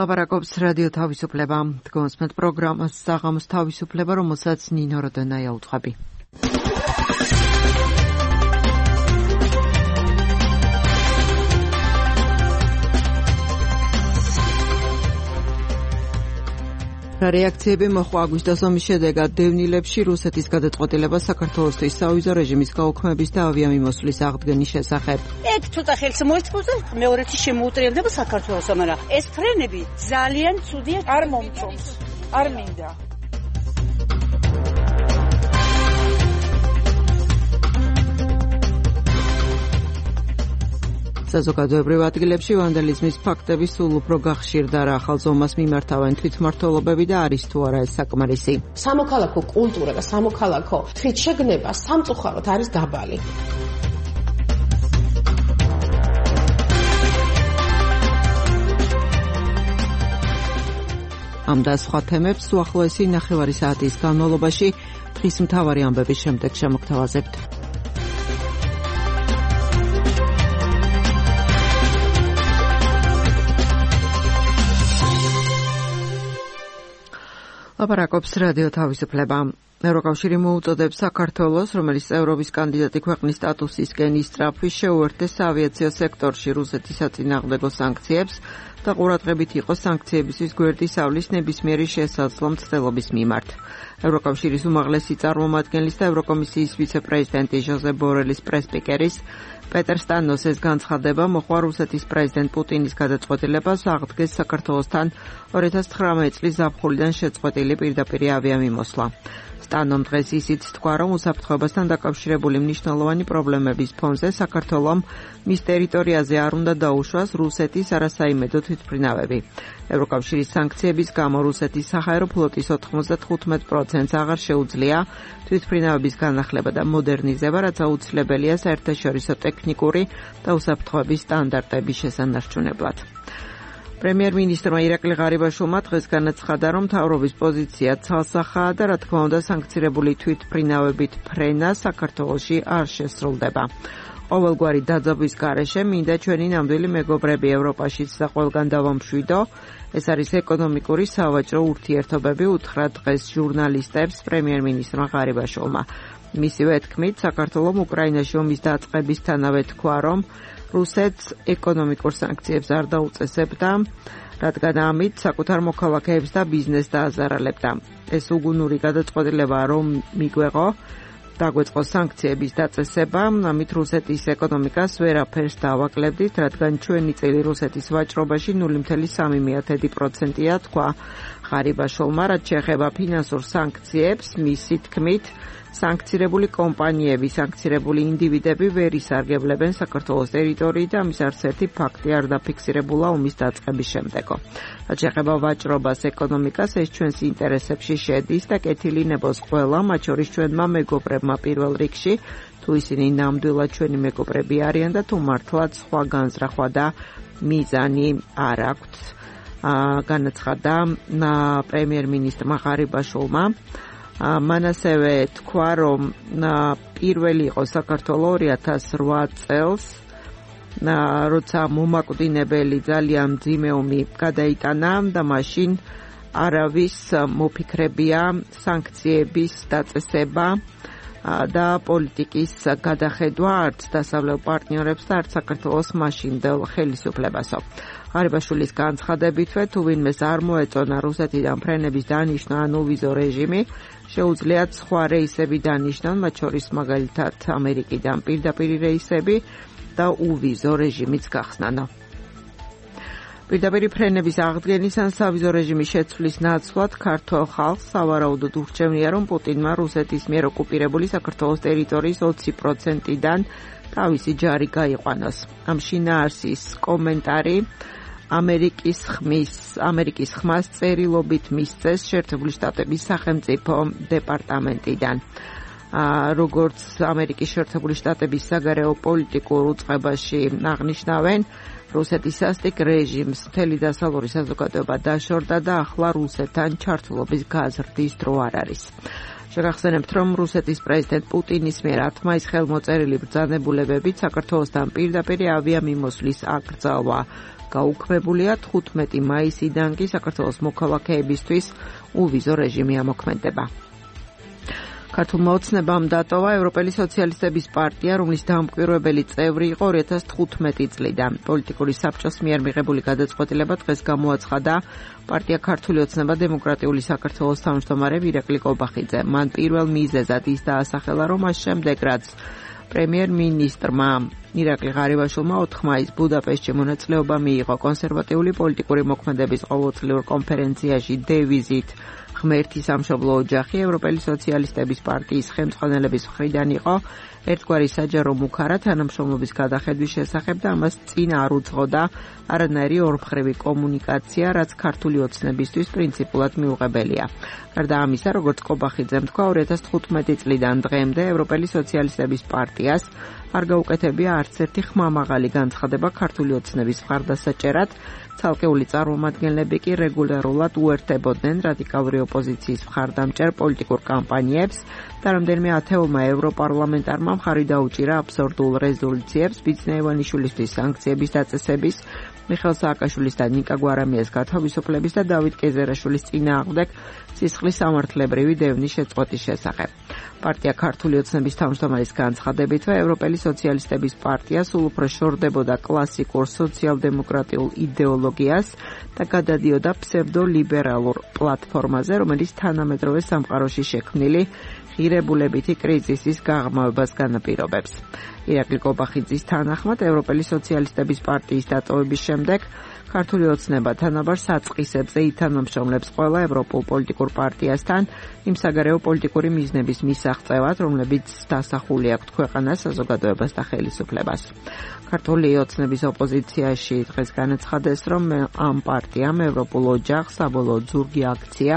ლაპარაკობს რადიო თავისუფლება. დგომსმენთ პროგრამას საღამოს თავისუფლება, რომელსაც ნინო როდონაია უძღვები. რეაქციები მოხდა აგვისტოს ომის შედეგად დევნილებში რუსეთის გადაწყვეტილება საქართველოსთვის სავიზო რეჟიმის გაუქმების და ავიამიმოსვლის აღდგენის შესახებ. ეგ ცოტა ხელს მოიწვევს მეორეთი შემოუტრიალდება საქართველოს, მაგრამ ეს ფრენები ძალიან ცუდია, არ მომწონს, არ მინდა. საზოგადოებრივ ადგილებში ვანდალიზმის ფაქტები სულ უფრო გახშირდა რა ახალ ზომას მიმართავენ თვითმმართველობები და არის თუ არა ეს საკმარისი. სამოქალაქო კულტურა და სამოქალაქო თვითშეგნება სამწუხაროდ არის დაბალი. ამ და სხვა თემებს უახლოესი ნახევარი საათის განმავლობაში დღის მთავარი ამბების შემდეგ შემოგთავაზებთ. ლაპარაკობს რადიო თავისუფლება. ევროკავშირი მოუწოდებს საქართველოს, რომელიც ევროპის კანდიდატი ქვეყნის სტატუსისკენ ისწრაფვის შეუერთდეს ავიაციო სექტორში რუსეთის საწინააღმდეგო სანქციებს და ყურადღებით იყოს სანქციებისთვის გვერდის ავლის ნებისმიერი შესაძლო მცდელობის მიმართ. ევროკავშირის უმაღლესი წარმომადგენლის და ევროკომისიის ვიცე-პრეზიდენტი ჟოზე ბორელის პრესპიკერის პეტერ სტანოსეს განცხადება მოხდა რუსეთის პრეზიდენტ პუტინის გადაწყვეტილებას აღდგეს საქართველოსთან 2019 წლის ზაფხულიდან შეწყვეტილი პირდაპირი ავიამიმოსვლა. სტანომ დღეს ისიც თქვა, რომ უსაფრთხოებასთან დაკავშირებული მნიშვნელოვანი პრობლემების ფონზე საქართველომ მის ტერიტორიაზე არ უნდა დაუშვას რუსეთის არასაიმედო თვითმფრინავები. ევროკავშირის სანქციების გამო რუსეთის საჰაერო ფლოტის 95%-ს აღარ შეუძლია თვითმფრინავების განახლება და მოდერნიზება, რაც აუცილებელია საერთაშორისო ტექნიკური და უსაფრთხოების სტანდარტების შესანარჩუნებლად. პრემიერ-მინისტრმა ირაკლი ღარიბაშვილმა დღეს განაცხადა, რომ მთავრობის პოზიცია ცალსახაა და რა თქმა უნდა სანქცირებული თვითმფრინავებით ფრენა საქართველოში არ შესრულდება. ყოველგვარი დაძაბვის გარეშე მინდა ჩვენი ნამდვილი მეგობრები ევროპაშიც და ყველგან დავამშვიდო. ეს არის ეკონომიკური სავაჭრო ურთიერთობები, უთხრა დღეს ჟურნალისტებს პრემიერ-მინისტრმა ღარიბაშვილმა. მისივე თქმით, საქართველომ უკრაინაში ომის დაწყებისთანავე თქვა, რომ რუსეთს ეკონომიკურ სანქციებს არ დაუწესებდა, რადგან ამით საკუთარ მოქალაქეებს და ბიზნესს დააზარალებდა. ეს უგუნური გადაწყვეტილება რომ მიგვეღო, დაგვეწყო სანქციების დაწესება, ამით რუსეთის ეკონომიკას ვერაფერს დავაკლებდით, რადგან ჩვენი წილი რუსეთის ვაჭრობაში 0.3%-ია, თქვა ღარიბაშვილმა, რაც შეეხება ფინანსურ სანქციებს, მისი თქმით, სანქცირებული კომპანიები, სანქცირებული ინდივიდები ვერ ისარგებლებენ საქართველოს ტერიტორიით და ამის არც ერთი ფაქტი არ დაფიქსირებულა ომის დაწყების შემდეგო. რაც შეეხება ვაჭრობას, ეკონომიკას, ეს ჩვენს ინტერესებში შედის და კეთილი ნებოს ყველა, მათ შორის ჩვენმა მეგობრებმა პირველ რიგში, თუ ისინი ნამდვილად ჩვენი მეგობრები არიან და თუ მართლაც სხვა განზრახვა და მიზანი არ აქვთ, განაცხადა პრემიერ-მინისტრმა ღარიბაშვილმა. მან ასევე თქვა, რომ პირველი იყო საქართველო 2008 წელს, როცა მომაკვდინებელი ძალიან მძიმე ომი გადაიტანა და მაშინ არავის მოფიქრებია სანქციების დაწესება და პოლიტიკის გადახედვა არც დასავლელ პარტნიორებს და არც საქართველოს მაშინდელ ხელისუფლებასო. ღარიბაშვილის განცხადებითვე, თუ ვინმეს არ მოეწონა რუსეთიდან ფრენების დანიშვნა ან ოვიზო რეჟიმი, შეუძლიათ სხვა რეისები დანიშნონ, მათ შორის მაგალითად ამერიკიდან პირდაპირი რეისები და ოვიზო რეჟიმიც გახსნანო. პირდაპირი ფრენების აღდგენის ან სავიზო რეჟიმის შეცვლის ნაცვლად ქართველ ხალხს სავარაუდოდ ურჩევნია, რომ პუტინმა რუსეთის მიერ ოკუპირებული საქართველოს ტერიტორიის 20%-დან თავისი ჯარი გაიყვანოს. ამ შინაარსის კომენტარი ამერიკის ხმას წერილობით მისცეს შეერთებული შტატების სახელმწიფო დეპარტამენტიდან. როგორც ამერიკის შეერთებული შტატების საგარეო პოლიტიკურ უწყებაში აღნიშნავენ, რუსეთის სასტიკ რეჟიმს მთელი დასავლური საზოგადოება დაშორდა და ახლა რუსეთთან ჩართულობის გაზრდის დრო არ არის. შევახსენებთ, რომ რუსეთის პრეზიდენტ პუტინის მიერ 10 მაისს ხელმოწერილი ბრძანებულებებით საქართველოსთან პირდაპირ ავიამიმოსვლის აკრძალვა გაუქმებულია. 15 მაისიდან კი საქართველოს მოქალაქეებისთვის ულვიზო რეჟიმი ამოქმედება. ქართულმა ოცნებამ დატოვა ევროპელი სოციალისტების პარტია, რომლის დამკვირვებელი წევრი იყო 2015 წლიდან. პოლიტიკური საბჭოს მიერ მიღებული გადაწყვეტილება დღეს გამოაცხადა პარტია ქართული ოცნება დემოკრატიული საქართველოს თავმჯდომარემ ირაკლი კობახიძემ. მან პირველ მიზეზად ის დაასახელა, რომ მას შემდეგ, რაც პრემიერ-მინისტრმა ირაკლი ღარიბაშვილმა 4 მაისს ბუდაპეშტში მონაწილეობა მიიღო კონსერვატიული პოლიტიკური მოქმედების ყოველწლიურ კონფერენციაში დევიზით ღმერთი სამშობლო ოჯახი, ევროპელი სოციალისტების პარტიის ხელმძღვანელების მხრიდან იყო ერთგვარი საჯარო მუქარა თანამშრომლობის გადახედვის შესახებ და ამას წინ არ უძღოდა არანაირი ორმხრივი კომუნიკაცია, რაც ქართული ოცნებისთვის პრინციპულად მიუღებელია. გარდა ამისა, როგორც კობახიძემ თქვა, 2015 წლიდან დღემდე ევროპელი სოციალისტების პარტიას არ გაუკეთებია არც ერთი ხმამაღალი განცხადება ქართული ოცნების მხარდასაჭერად. ცალკეული წარმომადგენლები კი რეგულარულად უერთდებოდნენ რადიკალური ოპოზიციის მხარდამჭერ პოლიტიკურ კამპანიებს და რამდენიმე ათეულმა ევროპარლამენტარმა მხარი დაუჭირა აბსურდულ რეზოლუციებს ბიძინა ივანიშვილისთვის სანქციების დაწესების, მიხეილ სააკაშვილის და ნიკა გვარამიას გათავისუფლების და დავით კეზერაშვილის წინააღმდეგ სისხლის სამართლებრივი დევნის შეწყვეტის შესახებ. პარტია ქართული ოცნების თავმჯდომარის განცხადებითვე ევროპელი სოციალისტების პარტია სულ უფრო შორდებოდა კლასიკურ სოციალ-დემოკრატიულ იდეოლოგიას და გადადიოდა ფსევდოლიბერალურ პლატფორმაზე, რომელიც თანამედროვე სამყაროში შექმნილი ღირებულებითი კრიზისის გაღრმავებას განაპირობებს. ირაკლი კობახიძის თანახმად, ევროპელი სოციალისტების პარტიის დატოვების შემდეგ ქართული ოცნება თანაბარ საწყისებზე ითანამშრომლებს ყველა ევროპულ პოლიტიკურ პარტიასთან იმ საგარეო პოლიტიკური მიზნების მისაღწევად, რომლებიც დასახული აქვთ ქვეყანას, საზოგადოებას და ხელისუფლებას. ქართული ოცნების ოპოზიციაში დღეს განაცხადეს, რომ ამ პარტიამ ევროპულ ოჯახს საბოლოო ზურგი აქცია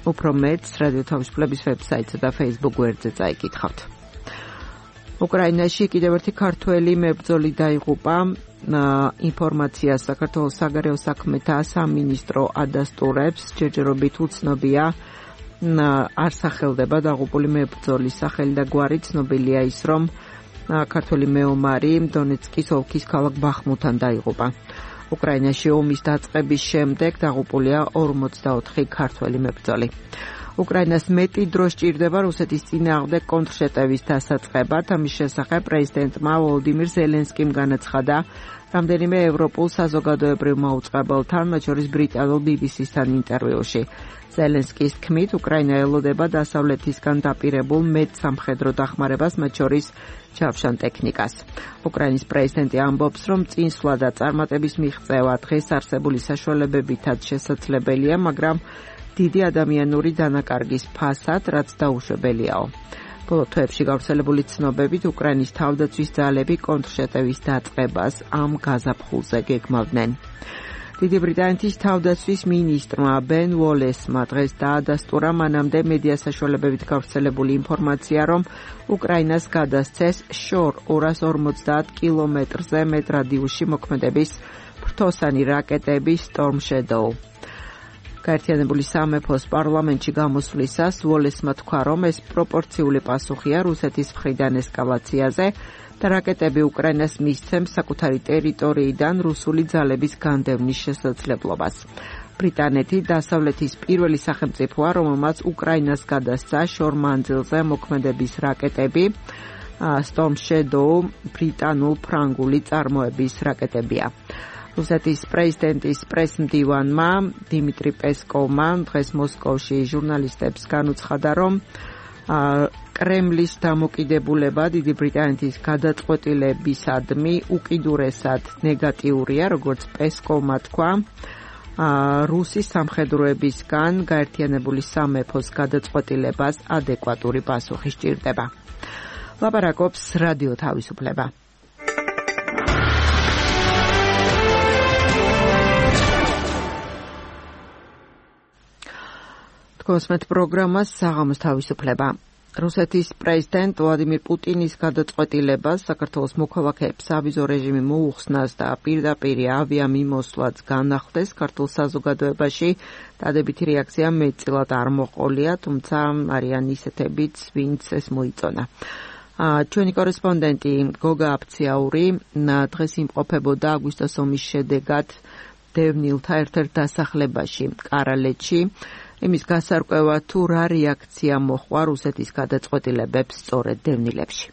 უფრო მეტს რადიო თავისუფლების ვებსაიტსა და Facebook გვერდზე წაიკითხავთ. უკრაინაში კიდევ ერთი ქართველი მებრძოლი დაიღუპა. ინფორმაციას საქართველოს საგარეო საქმეთა სამინისტრო ადასტურებს, ჯერჯერობით უცნობია არ სახელდება დაღუპული მებრძოლის სახელი და გვარი. ცნობილია ის, რომ ქართველი მეომარი დონეცკის ოლქის ქალაქ ბახმუთთან დაიღუპა. უკრაინაში ომის დაწყების შემდეგ დაღუპულია 44 ქართველი მებრძოლი. უკრაინას მეტი დრო სჭირდება რუსეთის წინააღმდეგ კონტრშეტევის დასაწყებად. ამის შესახებ პრეზიდენტმა ვოლოდიმირ ზელენსკიმ განაცხადა რამდენიმე ევროპულ საზოგადოებრივ მაუწყებელთან, მათ შორის ბრიტანულ BBC-სთან ინტერვიუში. ზელენსკის თქმით, უკრაინა ელოდება დასავლეთისგან დაპირებულ მეტსამხედრო დახმარებას, მათ შორის ჩავშან ტექნიკას. უკრაინის პრეზიდენტი ამბობს, რომ წინსვლა და წარმატების მიღწევა დღეს არსებული საშუალებებითაც შესაძლებელია, მაგრამ დიდი ადამიანური დანაკარგის ფასად, რაც დაუშვებელიაო. ბოლო თვეებში გავრცელებული ცნობებით უკრაინის თავდაცვის ძალები კონტრშეტევის დაწყებას ამ გაზაფხულზე გეგმავდნენ. დიდი ბრიტანეთის თავდაცვის მინისტრმა ბენ უოლესმა დღეს დაადასტურა მანამდე მედია საშუალებებით გავრცელებული ინფორმაცია, რომ უკრაინას გადასცეს შორ 250 კილომეტრზე მეტ რადიუსში მოქმედების ფრთოსანი რაკეტები Storm Shadow. გაერთიანებული სამეფოს პარლამენტში გამოსვლისას უოლესმა თქვა, რომ ეს პროპორციული პასუხია რუსეთის მხრიდან ესკალაციაზე და რაკეტები უკრაინას მისცემს საკუთარი ტერიტორიიდან რუსული ძალების განდევნის შესაძლებლობას. ბრიტანეთი დასავლეთის პირველი სახელმწიფოა, რომელმაც უკრაინას გადასცა შორ მანძილზე მოქმედების რაკეტები. Storm Shadow ბრიტანულ-ფრანგული წარმოების რაკეტებია. რუსეთის პრეზიდენტის პრესმდივანმა დიმიტრი პესკოვმა დღეს მოსკოვში ჟურნალისტებს განუცხადა, რომ კრემლის დამოკიდებულება დიდი ბრიტანეთის გადაწყვეტილებისადმი უკიდურესად ნეგატიურია, როგორც პესკოვმა თქვა, რუსის სამხედროებისგან გაერთიანებული სამეფოს გადაწყვეტილებას ადეკვატური პასუხი სჭირდება. ლაპარაკობს რადიო თავისუფლება. კონსმეთ პროგრამას საღამოს თავისუფლება. რუსეთის პრეზიდენტ ვლადიმირ პუტინის გადაწყვეტილებას საქართველოს მოქალაქეებს ავიზო რეჟიმი მოუხსნას და პირდაპირ ავიამიმოსვლაც განახლდეს ქართულ საზოგადოებაში დადებითი რეაქცია მეტწილად არ მოყოლია, თუმცა არიან ისეთებიც, ვინც ეს მოიწონა. ჩვენი კორესპონდენტი გოგა აფციაური დღეს იმყოფებოდა აგვისტოს ომის შედეგად დევნილთა ერთ-ერთ დასახლებაში კარალეთში. იმის გასარკვევად თუ რა რეაქცია მოჰყვა რუსეთის გადაწყვეტილებებს სწორედ დევნილებში.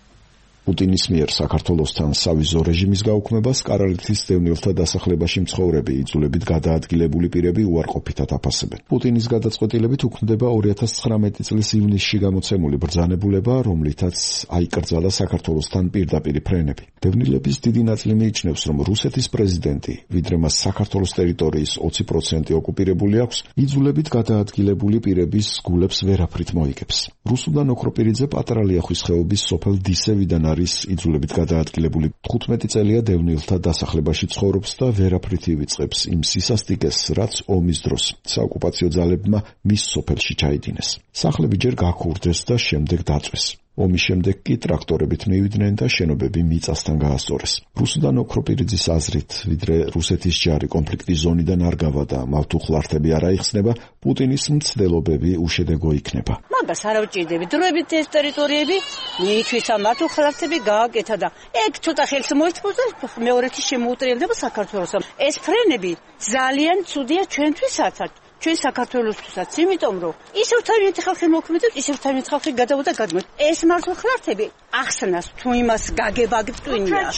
პუტინის მიერ საქართველოსთან სავიზო რეჟიმის გაუქმებას კარალეთის დევნილთა დასახლებაში მცხოვრები იძულებით გადაადგილებული პირები უარყოფითად აფასებენ. პუტინის გადაწყვეტილებით უქმდება 2019 წლის ივნისში გამოცემული ბრძანებულება, რომლითაც აიკრძალა საქართველოსთან პირდაპირ ფრენები. დევნილების დიდი ნაწილი მიიჩნევს, რომ რუსეთის პრეზიდენტი, ვიდრე მას საქართველოს ტერიტორიის 20% ოკუპირებული აქვს, იძულებით გადაადგილებული პირების გულებს ვერაფრით მოიგებს. რუსუდან ოქროპირიძე პატარა ლიახვის ხეობის სოფელ დისევიდან არის იძულებით გადაადგილებული 15 წელია დევნილთა დასახლებაში ცხოვრობს და ვერაფრით ივიწყებს იმ სისასტიკეს, რაც ომის დროს საოკუპაციო ძალებმა მის სოფელში ჩაიდინეს. სახლები ჯერ გაქურდეს და შემდეგ დაწვეს. ომის შემდეგ კი ტრაქტორებით მივიდნენ და შენობები მიწასთან გაასწორეს. რუსუდან ოქროპირიძის აზრით, ვიდრე რუსეთის ჯარი კონფლიქტის ზონიდან არ გავა და მავთუხლართები არ აიხსნება, პუტინის მცდელობები უშედეგო იქნება. მაგას არ ავჭირდები. დროებით ეს ტერიტორიები მიითვისა მავთუხლართები გააკეთა და ეგ ცოტა ხელს მოიწმოს და მეორეთი შემოუტრიალდება საქართველოს. ეს ფრენები ძალიან ცუდია ჩვენთვისაც. ჩვენ საქართველოსთვისაც, იმიტომ რომ ისევ თავიანთი ხალხი მოქმედებს, ისევ თავიანთი ხალხი გადავოდა გადმოთ. ეს მართლხლართები ახსნას თუ იმას გაგება გწვინია.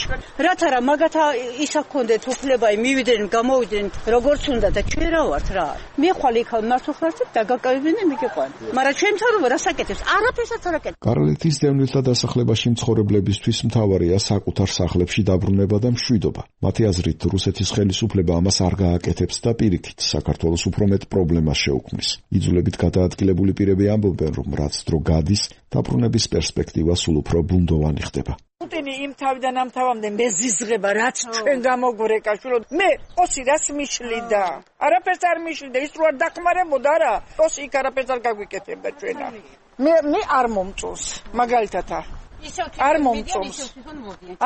რათა რა მაგათა ისა გქონდეთ უფლება მივიდნენ, გამოვიდნენ როგორც უნდა და ჩვენ რა ვართ რა. მე ხვალ იქ მართლხლართები დაგაკავებინენ მიგეყვან. მაგრამ ჩვენ თავრობა რასაკეთებს? არაფერსაც არ აკეთებს. კარალეთის დევნილთა დასახლებაში მცხოვრებლებისთვის მთავარია საკუთარ სახლებში დაბრუნება და მშვიდობა. მათი აზრით, რუსეთის ხელისუფლება ამას არ გააკეთებს და პირიქით საქართველოს უფრო მეტ პრობლემას შეუქმნის. იძულებით გადაადგილებული პირები ამბობენ, რომ რაც დრო გადის, დაბრუნების პერსპექტივა სულ უფრო ბუნდოვანი ხდება. პუტინი იმ თავიდან ამ თავამდე მეზიზღება, რაც ჩვენ გამოგვრეკა შვილო. მე ოსი რას მიშლიდა? არაფერს არ მიშლიდა, ის რო არ დახმარებოდა რა. ოსი იქ არაფერს არ გაგვიკეთებდა ჩვენა. მე არ მომწონს, მაგალითად არ მომწონს.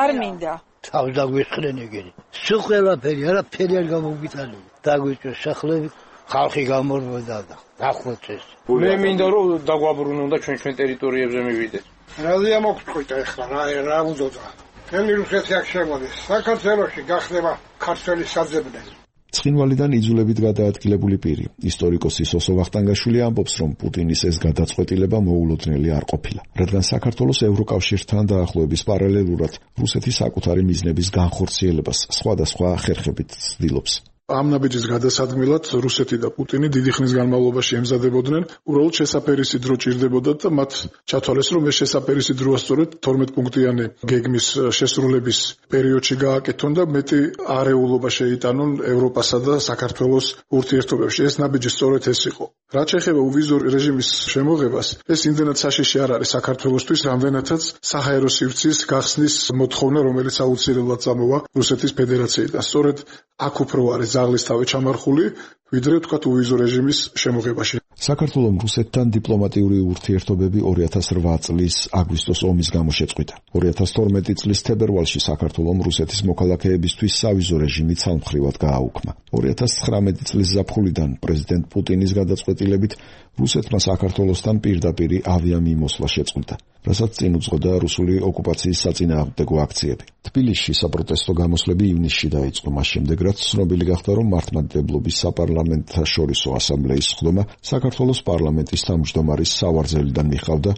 არ მინდა. თავს დაგვიხრენ ეგენი. სულ ყველაფერი, არაფერი არ გამოგიტანე. დაგვიჭრეს სახლები. ხალხი გამორბოდა და დახოცეს. მე მინდა რომ დაგვაბრუნონ და ჩვენ ტერიტორიებზე მივიდეს. რაზეა მოგწყვიტა ახლა რა უძოძა. თემი რუსეთი აქ შემოდის. საქართველოში გახდება ქართველი საძებნელი. ცხინვალიდან იძულებით გადაადგილებული პირი, ისტორიკოსი სოსო ვახტანგაშვილი ამბობს, რომ პუტინის ეს გადაწყვეტილება მოულოდნელი არ ყოფილა, რადგან საქართველოს ევროკავშირთან დაახლოების პარალელურად რუსეთის საკუთარი მიზნების განხორციელებას სხვადასხვა ხერხებით ცდილობს. ამ ნაბიჯის გადასადგმელად რუსეთი და პუტინი დიდი ხნის განმავლობაში ემზადებოდნენ, უბრალოდ შესაფერისი დრო ჭირდებოდა და მათ ჩათვალეს, რომ ეს შესაფერისი დრო სწორედ 12 პუნქტიანი გეგმის შესრულების პერიოდში გააკეთონ და მეტი არეულობა შეიტანონ ევროპასა და საქართველოს ურთიერთობებში. ეს ნაბიჯი სწორედ ეს იყო. რაც ეხება უვიზო რეჟიმის შემოღებას, ეს იმდენად საშიში არ არის საქართველოსთვის, რამდენადაც საჰაერო სივრცის გახსნის მოთხოვნა, რომელიც აუცილებლად წამოვა რუსეთის ფედერაციიდან. სწორედ აქ უფრო არის ზაღლის თავი ჩამარხული, ვიდრე თქვათ უვიზო რეჟიმის შემოღებაში. საქართველომ რუსეთთან დიპლომატიური ურთიერთობები 2008 წლის აგვისტოს ომის გამო შეწყვიტა. 2012 წლის თებერვალში საქართველომ რუსეთის მოქალაქეებისთვის სავიზო რეჟიმი ცალმხრივად გააუქმა. 2019 წლის ზაფხულიდან პრეზიდენტ პუტინის გადაწყვეტილებით რუსეთმა საქართველოსთან პირდაპირ ავიამიმოსვლა შეწყვიტა, რასაც წინ უძღოდა რუსული ოკუპაციის საწინააღმდეგო აქციები. თბილისში საპროტესტო გამოსვლები ივნისში დაიწყო, მას შემდეგ რაც ცნობილი გახდა, რომ მართლმადიდებლობის საპარლამენტთაშორისო ასამბლეის სხდომა საქართველოს პარლამენტის თავმჯდომარის სავარძელიდან მიხავდა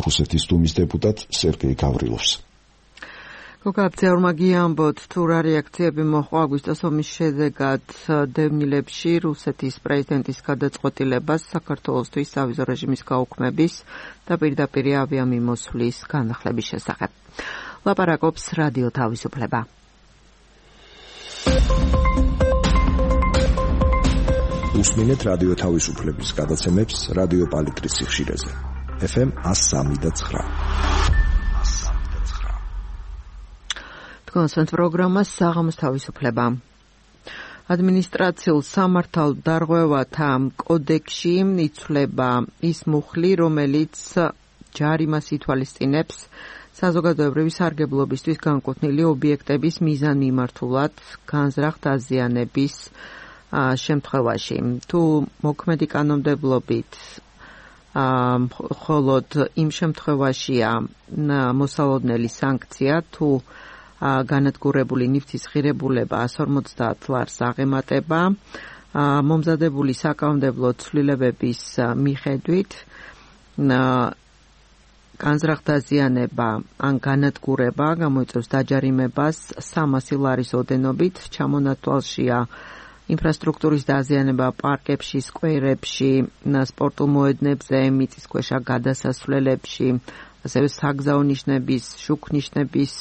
რუსეთის დუმის დეპუტატ სერგეი გავრილოვს. გოგაბძეურმა გიამბოთ, თუ რა რეაქციები მოჰყვა აგვისტოს ომის შედეგად დევნილებში რუსეთის პრეზიდენტის გადაწყვეტილებას საქართველოსთვის სავიზო რეჟიმის გაუქმების და პირდაპირ ავიამიმოსვლის განახლების შესახებ. ლაპარაკობს რადიო თავისუფლება. უსმინეთ რადიო თავისუფლების გადაცემებს რადიო პალიტრის სიხშირეზე. FM 103.9. კონსტანტ პროგრამა საღამოს თავისუფლება. ადმინისტრაციულ სამართალდარღვევათა კოდექსში იცვლება ის მუხლი, რომელიც ჯარიმას ითვალისწინებს საზოგადოებრივი სარგებლობისთვის განკუთვნილი ობიექტების მიზანმიმართულად განზრახ დაზიანების შემთხვევაში. თუ მოქმედი კანონმდებლობით მხოლოდ იმ შემთხვევაშია მოსალოდნელი სანქცია, თუ განადგურებული ნივთის ღირებულება 150 ლარს აღემატება, მომზადებული საკანონმდებლო ცვლილებების მიხედვით განზრახ დაზიანება ან განადგურება გამოიწვევს დაჯარიმებას 300 ლარის ოდენობით, ჩამონათვალშია ინფრასტრუქტურის დაზიანება პარკებში, სკვერებში, სპორტულ მოედნებზე, მიწისქვეშა გადასასვლელებში, ასევე საგზაო ნიშნების, შუქნიშნების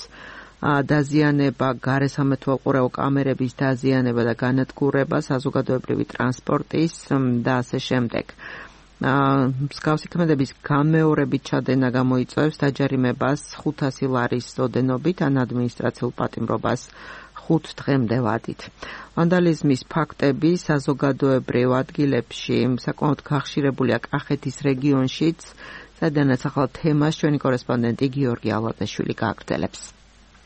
დაზიანება, გარესამეთვალყურეო კამერების დაზიანება და განადგურება, საზოგადოებრივი ტრანსპორტის და ასე შემდეგ. მსგავსი ქმედების განმეორებით ჩადენა გამოიწვევს დაჯარიმებას 500 ლარის ოდენობით ან ადმინისტრაციულ პატიმრობას 5 დღემდე ვადით. ვანდალიზმის ფაქტები საზოგადოებრივ ადგილებში საკმაოდ გახშირებულია კახეთის რეგიონშიც, სადაც ახალ თემას ჩვენი კორესპონდენტი გიორგი ალადაშვილი გააგრძელებს.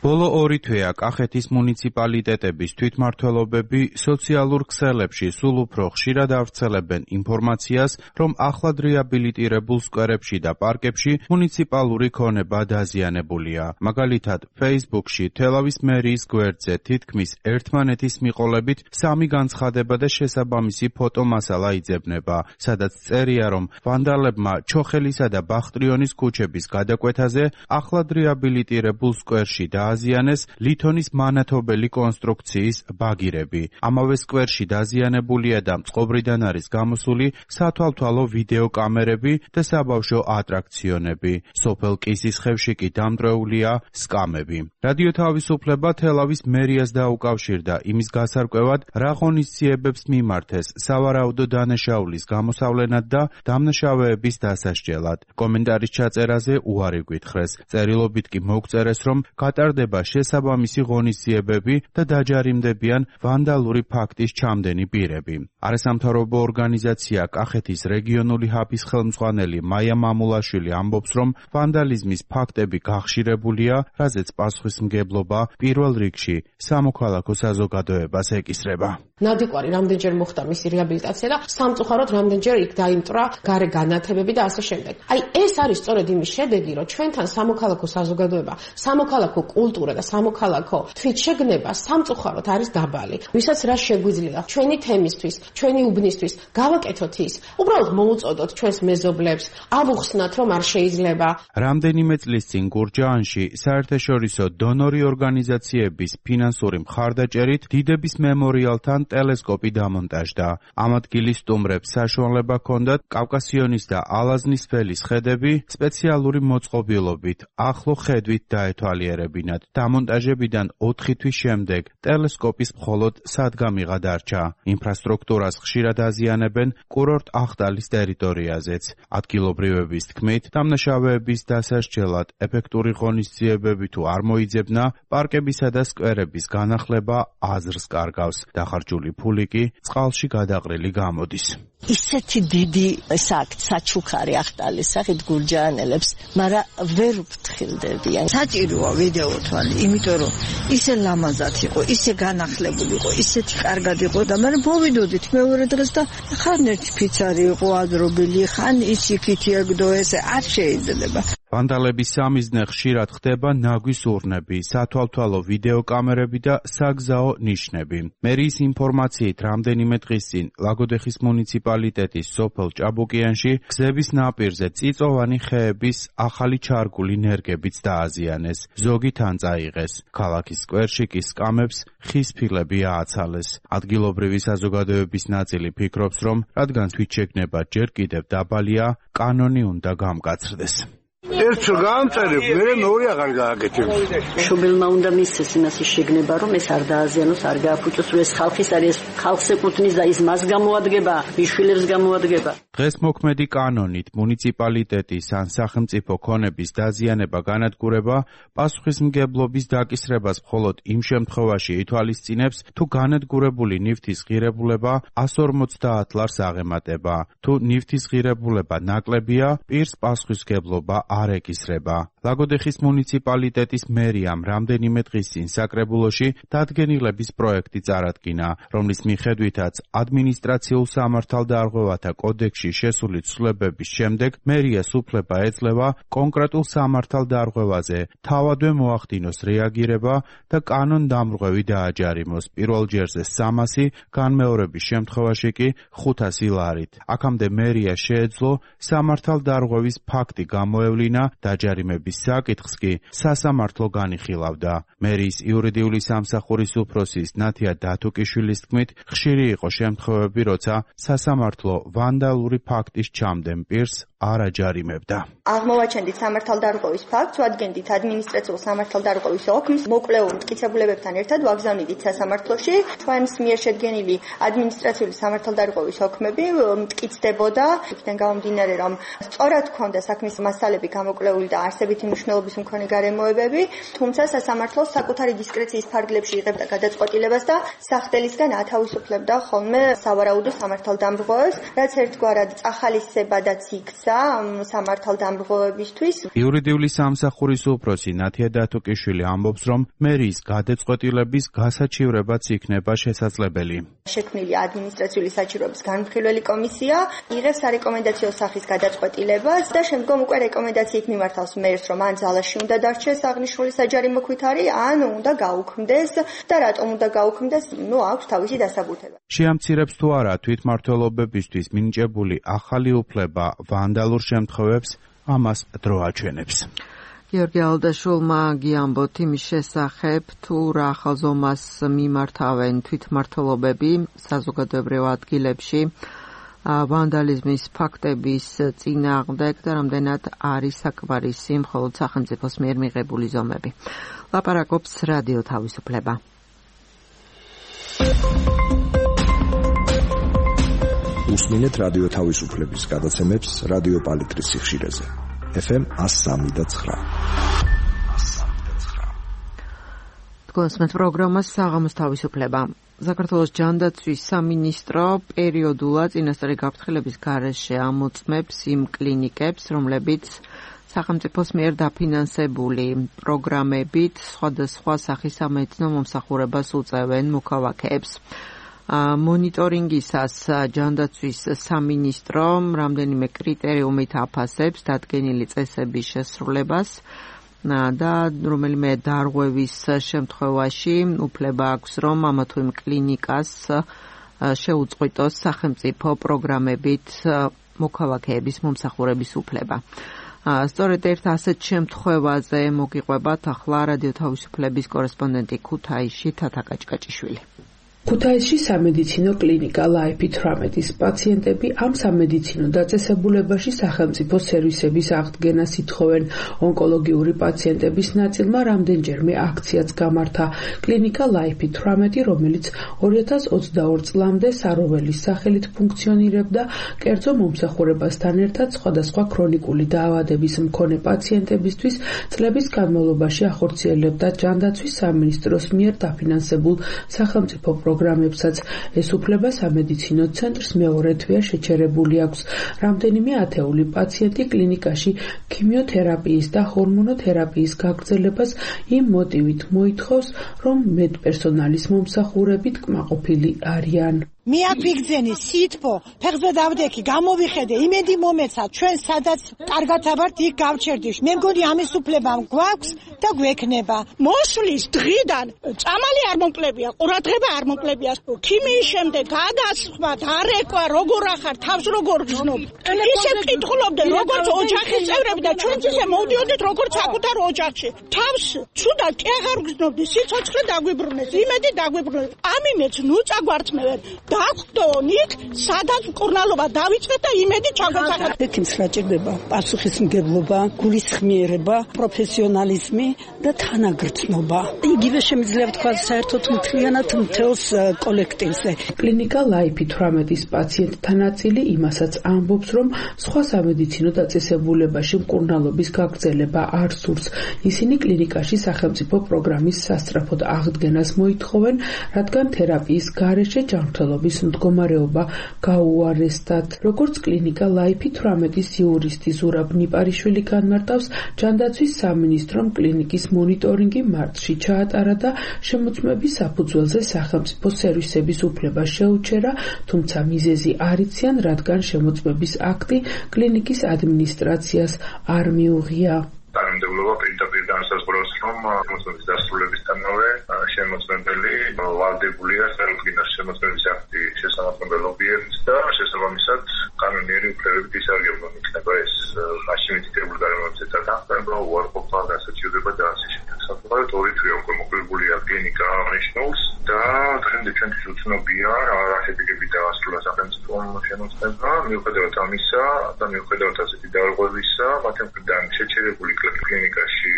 ბოლო 2 თვეა კახეთის მუნიციპალიტეტების თვითმმართველობები სოციალურ ქსელებში სულ უფრო ხშირად ავრცელებენ ინფორმაციას, რომ ახლად რეაბილიტირებულ სკვერებში და პარკებში მუნიციპალური ქონება დაზიანებულია. მაგალითად, Facebook-ში თელავის მერიის გვერდზე თითქმის ერთმანეთის მიყოლებით 3 განცხადება და შესაბამისი ფოტომასალა იძებნება, სადაც წერია, რომ ვანდალებმა ჩოხელისა და ბახტრიონის ქუჩების გადაკვეთაზე ახლად რეაბილიტირებულ სკვერში დააზიანეს ლითონის მანათობელი კონსტრუქციის ბაგირები. ამავე სკვერში დაზიანებულია და წყობრიდან არის გამოსული სათვალთვალო ვიდეო კამერები და საბავშვო ატრაქციონები. სოფელ კისისხევში კი დამტვრეულია სკამები. რადიო თავისუფლება თელავის მერიას დაუკავშირდა იმის გასარკვევად, რა ღონისძიებებს მიმართეს სავარაუდო დანაშაულის გამოსავლენად და დამნაშავეების დასასჯელად. კომენტარის ჩაწერაზე უარი გვითხრეს. წერილობით კი მოგწერეს, რომ გატარდება შესაბამისი ღონისძიებები და დაჯარიმდებიან ვანდალური ფაქტის ჩამდენი პირები. არასამთავრობო ორგანიზაცია კახეთის რეგიონული ჰაბის ხელმძღვანელი მაია მამულაშვილი ამბობს, რომ ვანდალიზმის ფაქტები გახშირებულია, რაზეც პასუხისმგებლობა პირველ რიგში სამოქალაქო საზოგადოებას ეკისრება. ნადიკვარი რამდენჯერ მოხდა მისი რეაბილიტაცია და სამწუხაროდ რამდენჯერ იქ დაიმტრა გარე განათებები და ასე შემდეგ. აი ეს არის სწორედ იმის შედეგი, რომ ჩვენთან სამოქალაქო საზოგადოება, სამოქალაქო კულტურა და სამოქალაქო თვითშეგნება სამწუხაროდ არის დაბალი. ვისაც რა შეგვიძლია ჩვენი თემისთვის, ჩვენი უბნისთვის გავაკეთოთ ის, უბრალოდ მოუწოდოთ ჩვენს მეზობლებს, ავუხსნათ, რომ არ შეიძლება. რამდენიმე წლის წინ გურჯაანში საერთაშორისო დონორი ორგანიზაციების ფინანსური მხარდაჭერით დიდების მემორიალთან ტელესკოპი დამონტაჟდა. ამ ადგილის სტუმრებს საშუალება ჰქონდათ კავკასიონის და ალაზნის ველის ხედები სპეციალური მოწყობილობით ახლო ხედვით დაეთვალიერებინათ. დამონტაჟებიდან 4 თვის შემდეგ ტელესკოპის მხოლოდ სადგამიღა დარჩა. ინფრასტრუქტურას ხშირად აზიანებენ კურორტ ახტალის ტერიტორიაზეც. ადგილობრივების თქმით, დამნაშავეების დასასჯელად ეფექტური ღონისძიებები თუ არ მოიძებნა, პარკებისა და სკვერების განახლება აზრს კარგავს. დახარჯული ფული კი წყალში გადაყრილი გამოდის. ისეთი დიდი საკ საჩუქარი ახტალის სახით გურჯაანელებს, მაგრამ ვერ ვფრთხილდებიან. საჭიროა ვიდეო თვალი, იმიტომ რომ ისე ლამაზად იყო, ისე განახლებული იყო, ისეთი კარგად იყო და მაგრამ მოვიდოდით მეორე დღეს და ხან ერთი ფიცარი იყო აზრობილი, ხან ისიქითი ეგდო ესე არ შეიძლება. ვანდალების სამიზნე ხშირად ხდება ნაგვის ურნები, სათვალთვალო ვიდეო კამერები და საგზაო ნიშნები. მერიის ინფორმაციით რამდენიმე დღის წინ ლაგოდეხის მუნიციპალიტეტის სოფელ ჭაბუკიანში გზების ნაპირზე წიწოვანი ხეების ახალი ჩარგული ნერგებიც დააზიანეს. ზოგი თან წაიღეს. ქალაქის სკვერში კი სკამებს ხის ფილები ააცალეს. ადგილობრივი საზოგადოების ნაწილი ფიქრობს, რომ რადგან თვითშეგნება ჯერ კიდევ დაბალია, კანონი უნდა გამკაცრდეს. ერთ გამწერებ, მე მეორე აღარ გააკეთებ. მშობელმა უნდა მისცეს იმას შეგნება, რომ ეს არ დააზიანოს, არ გააფუჭოს, რომ ეს ხალხის არის, ხალხს ეკუთვნის და ის მას გამოადგება, მიშვილებს გამოადგება. დღეს მოქმედი კანონით მუნიციპალიტეტის ან სახელმწიფო ქონების დაზიანება განადგურება პასუხისმგებლობის დაკისრებას მხოლოდ იმ შემთხვევაში ითვალისწინებს, თუ განადგურებული ნივთის ღირებულება 150 ლარს აღემატება. თუ ნივთის ღირებულება ნაკლებია, პირს პასუხისმგებლობა არ ეკისრება. ლაგოდეხის მუნიციპალიტეტის მერიამ რამდენიმე დღის წინ საკრებულოში დადგენილების პროექტი წარადგინა, რომლის მიხედვითაც ადმინისტრაციულ სამართალდარღვევათა კოდექსში შესული ცვლილებების შემდეგ მერიას უფლება ეძლევა კონკრეტულ სამართალდარღვევაზე თავადვე მოახდინოს რეაგირება და კანონდამრღვევი დააჯარიმოს, პირველ ჯერზე 300, განმეორების შემთხვევაში კი 500 ლარით. აქამდე მერია შეეძლო სამართალდარღვევის ფაქტი გამოევლინა, დაჯარიმების საკითხს კი სასამართლო განიხილავდა. მერიის იურიდიული სამსახურის უფროსის ნათია დათუკიშვილის თქმით, ხშირი იყო შემთხვევები, როცა სასამართლო ვანდალური ფაქტის ჩამდენ პირს არ აჯარიმებდა. აღმოვაჩენდით სამართალდარღვევის ფაქტს, ვადგენდით ადმინისტრაციულ სამართალდარღვევის ოქმს, მოკვლეულ მტკიცებულებებთან ერთად ვაგზავნიდით სასამართლოში. ჩვენს მიერ შედგენილი ადმინისტრაციული სამართალდარღვევის ოქმები მტკიცდებოდა, იქიდან გამომდინარე, რომ სწორად ჰქონდა საქმის მასალები გამოკვლეული და არსებითი მნიშვნელობის მქონე გარემოებები, თუმცა სასამართლოს საკუთარი დისკრეციის ფარგლებში იღებდა გადაწყვეტილებას და სახდელისგან ათავისუფლებდა ხოლმე სავარაუდო სამართალდამრღვევებს, რაც ერთგვარად წახალისებადაც იქცა სამართალდამრღვევებისთვის. იურიდიული სამსახურის უფროსი ნათია დათუკიშვილი ამბობს, რომ მერიის გადაწყვეტილების გასაჩივრებაც იქნება შესაძლებელი. შექმნილი ადმინისტრაციული საჭიროების განმხილველი კომისია იღებს სარეკომენდაციო სახის გადაწყვეტილებას და შემდგომ უკვე რეკომენდაციით მიმართავს მერს, რომ ან ძალაში უნდა დარჩეს აღნიშნული საჯარიმო ქვითარი, ან უნდა გაუქმდეს და რატომ უნდა გაუქმდეს, აქვს თავისი დასაბუთება. შეამცირებს თუ არა თვითმმართველობებისთვის მინიჭებული ახალი უფლება ვანდალურ შემთხვევებს, ამას დრო აჩვენებს. გიორგი ალდაშულმა გიამბოთ იმის შესახებ, თუ რა ხაზომას მიმართავენ თვითმმართველობები საზოგადოებრივ ადგილებში ვანდალიზმის ფაქტების წინააღმდეგ და რამდენად არის საკმარისი მხოლოდ სახელმწიფოს მიერ მიღებული ზომები. ლაპარაკობს რადიო თავისუფლება. უსმინეთ რადიო თავისუფლების გადაცემებს რადიო პალიტრის სიხშირეზე. FM 103.9. თქვენს პროგრამას საღამოს თავისუფლება. საქართველოს ჯანდაცვის სამინისტრო პერიოდულად წინასწარი გაფრთხილების გარეშე ამოწმებს იმ კლინიკებს, რომლებიც სახელმწიფოს მიერ დაფინანსებული პროგრამებით სხვადასხვა სახის სამედიცინო მომსახურებას უწევენ მოქალაქეებს. მონიტორინგისას ჯანდაცვის სამინისტრომ რამდენიმე კრიტერიუმით აფასებს დადგენილი წესების შესრულებას და რომელიმე დარღვევის შემთხვევაში უფლება აქვს, რომ ამა თუ იმ კლინიკას შეუწყვიტოს სახელმწიფო პროგრამებით მოქალაქეების მომსახურების უფლება. სწორედ ერთ ასეთ შემთხვევაზე მოგიყვებათ ახლა რადიო თავისუფლების კორესპონდენტი ქუთაისში თათა კაჭკაჭიშვილი. ქუთაისში სამედიცინო კლინიკა Life 18-ის პაციენტები ამ სამედიცინო დაწესებულებაში სახელმწიფო სერვისების აღდგენას ითხოვენ. ონკოლოგიური პაციენტების ნაწილმა რამდენჯერმე აქციაც გამართა. კლინიკა Life 18, რომელიც 2022 წლამდე საროველის სახელით ფუნქციონირებდა, კერძო მომსახურებასთან ერთად სხვადასხვა ქრონიკული დაავადების მქონე პაციენტებისთვის წლების განმავლობაში ახორციელებდა ჯანდაცვის სამინისტროს მიერ დაფინანსებულ სახელმწიფო პროგრამებსაც. ეს უფლება სამედიცინო ცენტრს მეორე თვეა შეჩერებული აქვს. რამდენიმე ათეული პაციენტი კლინიკაში ქიმიოთერაპიის და ჰორმონოთერაპიის გაგრძელებას იმ მოტივით მოითხოვს, რომ მედპერსონალის მომსახურებით კმაყოფილი არიან. მე აქ ვიგზენი სითბო, ფეხზე დავდექი, გამოვიხედე, იმედი მომეცა, ჩვენ სადაც კარგად ავართ, იქ გავჩერდიშ. მე მგონი ამის უფლება გვაქვს და გვექნება. მოსვლის დღიდან წამალი არ მომკლებია, ყურადღება არ მომკლებია. ქიმიის შემდეგ გადასხმად, არეკვა, როგორ ახარ, თავს როგორ გზნობ. ისე ვკითხულობდნენ, როგორც ოჯახის წევრები და ჩვენც ისე მოვდიოდით, როგორც საკუთარ ოჯახში. თავს ცუდად კი აღარ გზნობდი, სიცოცხლე დაგვიბრუნეს, იმედი დაგვიბრუნეს. ამიმეც ნუ წაგვართმევენ. დაგვდონით, სადაც მკურნალობა დავიწყეთ და იმედი ჩაგვეცახეთ. ექიმს რა ჭირდება? პასუხისმგებლობა, გულისხმიერება, პროფესიონალიზმი და თანაგრძნობა. იგივე შემიძლია ვთქვა საერთოდ მთლიანად მთელს კოლექტივზე. კლინიკა Life 18-ის პაციენტთა ნაწილი იმასაც ამბობს, რომ სხვა სამედიცინო დაწესებულებაში მკურნალობის გაგრძელება არ სურს. ისინი კლინიკაში სახელმწიფო პროგრამის სასწრაფოდ აღდგენას მოითხოვენ, რადგან თერაპიის გარეშე ჯანმრთელობის მუშაობის მდგომარეობა გაუარესდათ. როგორც კლინიკა ლაიფი 18-ის იურისტი ზურაბ ნიპარიშვილი განმარტავს, ჯანდაცვის სამინისტრომ კლინიკის მონიტორინგი მარტში ჩაატარა და შემოწმების საფუძველზე სახელმწიფო სერვისების უფლება შეუჩერა, თუმცა მიზეზი არ იციან, რადგან შემოწმების აქტი კლინიკის ადმინისტრაციას არ მიუღია. თანამდებობა პირდაპირ განსაზღვრავს, რომ შემოწმების დასრულებისთანავე შემოწმებელი ვალდებულია წარმოქმნას შემოწმების აქტი შესამართლებელი ობიექტს და შესაბამისად კანონიერი უფლებებით ისარგებლონ იქნება ეს მაშინ მითითებული გარემოებებთან დახმარება, უარყოფა, გასაჩივრება და ასე შემდეგ. საკუთარ ორი თვე უკვე მოკლებულია კლინიკა აღნიშნულს და დღემდე ჩვენთვის უცნობია რა შედეგები დაასრულა სახელმწიფომ შემოწმება. მიუხედავად ამისა და მიუხედავად ასეთი დარღვევისა, მათ მხრიდან შეჩერებული კლინიკაში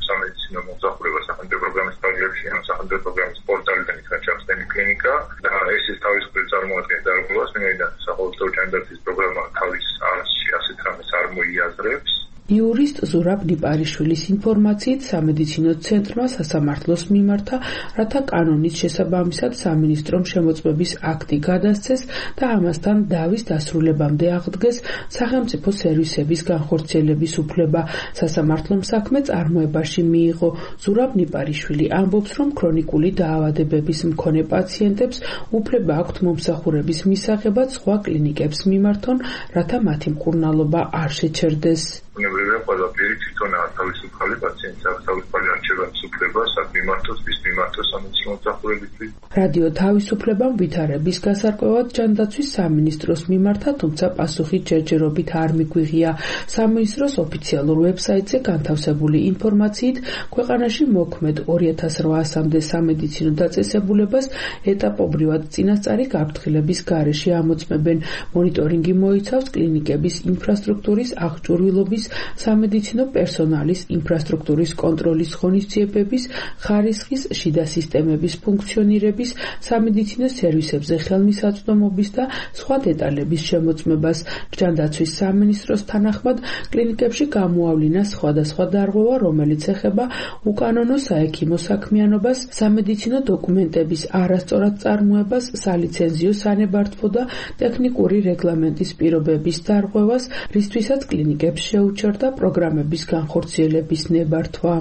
სამედიცინო მომსახურება სახელმწიფო პროგრამის ფარგლებში ან სახელმწიფო პროგრამის პორტალიდან იქნა ჩახსნილი კლინიკა და ეს თავისუფლად წარმოადგენს დარღვევას, ვინაიდან სახელმწიფო ჯანდაცვის პროგრამა თავის არჩი ასეთ რამეს არ მოიაზრებს. იურისტ ზურაბ ნიპარიშვილის ინფორმაციით სამედიცინო ცენტრმა სასამართლოს მიმართა, რათა კანონის შესაბამისად სამინისტრომ შემოწმების აქტი გადასცეს და ამასთან დავის დასრულებამდე აღდგეს სახელმწიფო სერვისების განხორციელების უფლება. სასამართლომ საქმე წარმოებაში მიიღო. ზურაბ ნიპარიშვილი ამბობს, რომ ქრონიკული დაავადებების მქონე პაციენტებს უფლება აქვთ მომსახურების მისაღებად სხვა კლინიკებს მიმართონ, რათა მათი მკურნალობა არ შეჩერდეს. უნებრივია ყველაფერი თვითონ თავისუფალი პაციენტს აქვს თავისუფალი არჩევანის უფლება, სად მიმართოს, ვის მიმართოს სამედიცინო მომსახურებისთვის. რადიო თავისუფლებამ ვითარების გასარკვევად ჯანდაცვის სამინისტროს მიმართა, თუმცა პასუხი ჯერჯერობით არ მიგვიღია. სამინისტროს ოფიციალურ ვებსაიტზე განთავსებული ინფორმაციით, ქვეყანაში მოქმედ 2800-მდე სამედიცინო დაწესებულებას ეტაპობრივად წინასწარი გაფრთხილების გარეშე ამოწმებენ. მონიტორინგი მოიცავს კლინიკების ინფრასტრუქტურის აღჭურვილობის, სამედიცინო პერსონალის ინფრასტრუქტურის კონტროლის ღონისძიებების, ხარისხის, შიდა სისტემების ფუნქციონირების, სამედიცინო სერვისებზე ხელმისაწვდომობის და სხვა დეტალების შემოწმებას. ჯანდაცვის სამინისტროს თანახმად, კლინიკებში გამოავლინა სხვადასხვა დარღვევა, რომელიც ეხება უკანონო საექიმო საქმიანობას, სამედიცინო დოკუმენტების არასწორად წარმოებას, სალიცენზიო სანებართვო და ტექნიკური რეგლამენტის პირობების დარღვევას, რისთვისაც კლინიკებს შეუჩერდა პროგრამების განხორციელების ნებართვა.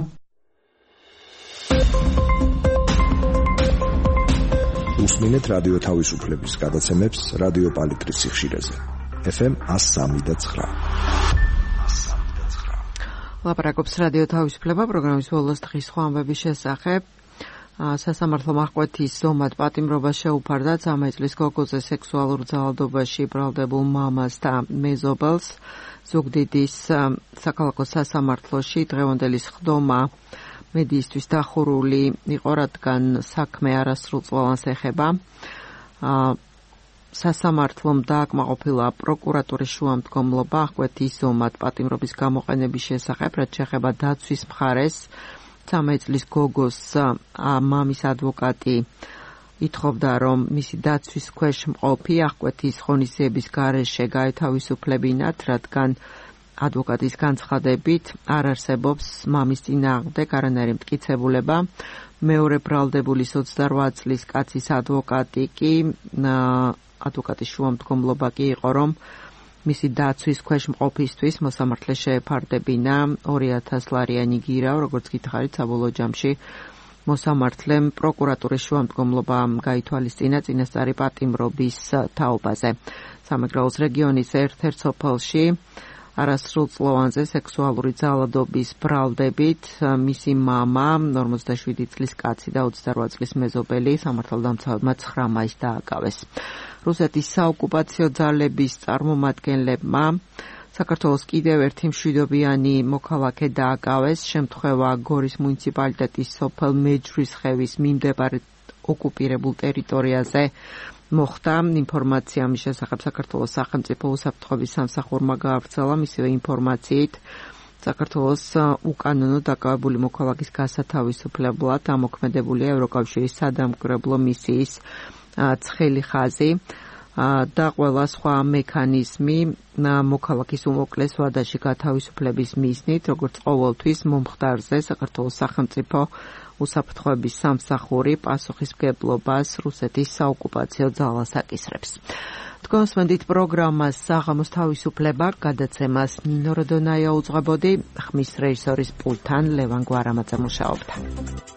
უსმინეთ რადიო თავისუფლების გადაცემებს რადიო პალიტრის სიხშირეზე. FM 103.9. ლაპარაკობს რადიო თავისუფლება პროგრამის ბოლოს დღის სხვა ამბების შესახებ. სასამართლო აღკვეთის ზომად პატიმრობა შეუფარდა 13 წლის გოგოზე სექსუალურ ძალადობაში ბრალდებულ მამას და მეზობელს. ზუგდიდის საქალაქო სასამართლოში დღევანდელი სხდომა მედიისთვის დახურული იყო, რადგან საქმე არასრულწლოვანს ეხება. სასამართლომ დააკმაყოფილა პროკურატურის შუამდგომლობა აღკვეთის ზომად პატიმრობის გამოყენების შესახებ, რაც შეეხება დაცვის მხარეს. 13 წლის გოგოს მამის ადვოკატი ითხოვდა, რომ მისი დაცვის ქვეშ მყოფი აღკვეთის ღონისძიების გარეშე გაეთავისუფლებინათ, რადგან ადვოკატის განცხადებით არ არსებობს მამის წინააღმდეგ არანაირი მტკიცებულება. მეორე ბრალდებულის 28 წლის კაცის ადვოკატი კი ადვოკატის შუამდგომლობა კი იყო, რომ მისი დაცვის ქვეშ მყოფისთვის მოსამართლე შეეფარდებინა 2000 ლარიანი გირა, როგორც გითხარით, საბოლოო ჯამში მოსამართლემ პროკურატურის შუამდგომლობამ გაითვალისწინა წინასწარი პატიმრობის თაობაზე. სამეგრელოს რეგიონის ერთ-ერთ სოფელში არასრულწლოვანზე სექსუალური ძალადობის ბრალდებით მისი მამა, 47 წლის კაცი და 28 წლის მეზობელი სამართალდამცავებმა 9 მაისს დააკავეს. რუსეთის საოკუპაციო ძალების წარმომადგენლებმა საქართველოს კიდევ ერთი მშვიდობიანი მოქალაქე დააკავეს. შემთხვევა გორის მუნიციპალიტეტის სოფელ მეჯვრისხევის მიმდებარე ოკუპირებულ ტერიტორიაზე მოხდა. ინფორმაცია მის შესახებ საქართველოს სახელმწიფო უსაფრთხოების სამსახურმა გაავრცელა. მისივე ინფორმაციით საქართველოს უკანონო დაკავებული მოქალაქის გასათავისუფლებლად ამოქმედებულია ევროკავშირის სადამკვირვებლო მისიის ცხელი ხაზი. და ყველა სხვა მექანიზმი მოქალაქის უმოკლეს ვადაში გათავისუფლების მიზნით, როგორც ყოველთვის მომხდარზე საქართველოს სახელმწიფო უსაფრთხოების სამსახური პასუხისმგებლობას რუსეთის საოკუპაციო ძალას აკისრებს. თქვენსმენდით პროგრამას საღამოს თავისუფლება გადაცემას ნინო როდონაია უძღვებოდი, ხმის რეჟისორის პულტთან ლევან გვარამაძე მუშაობდა.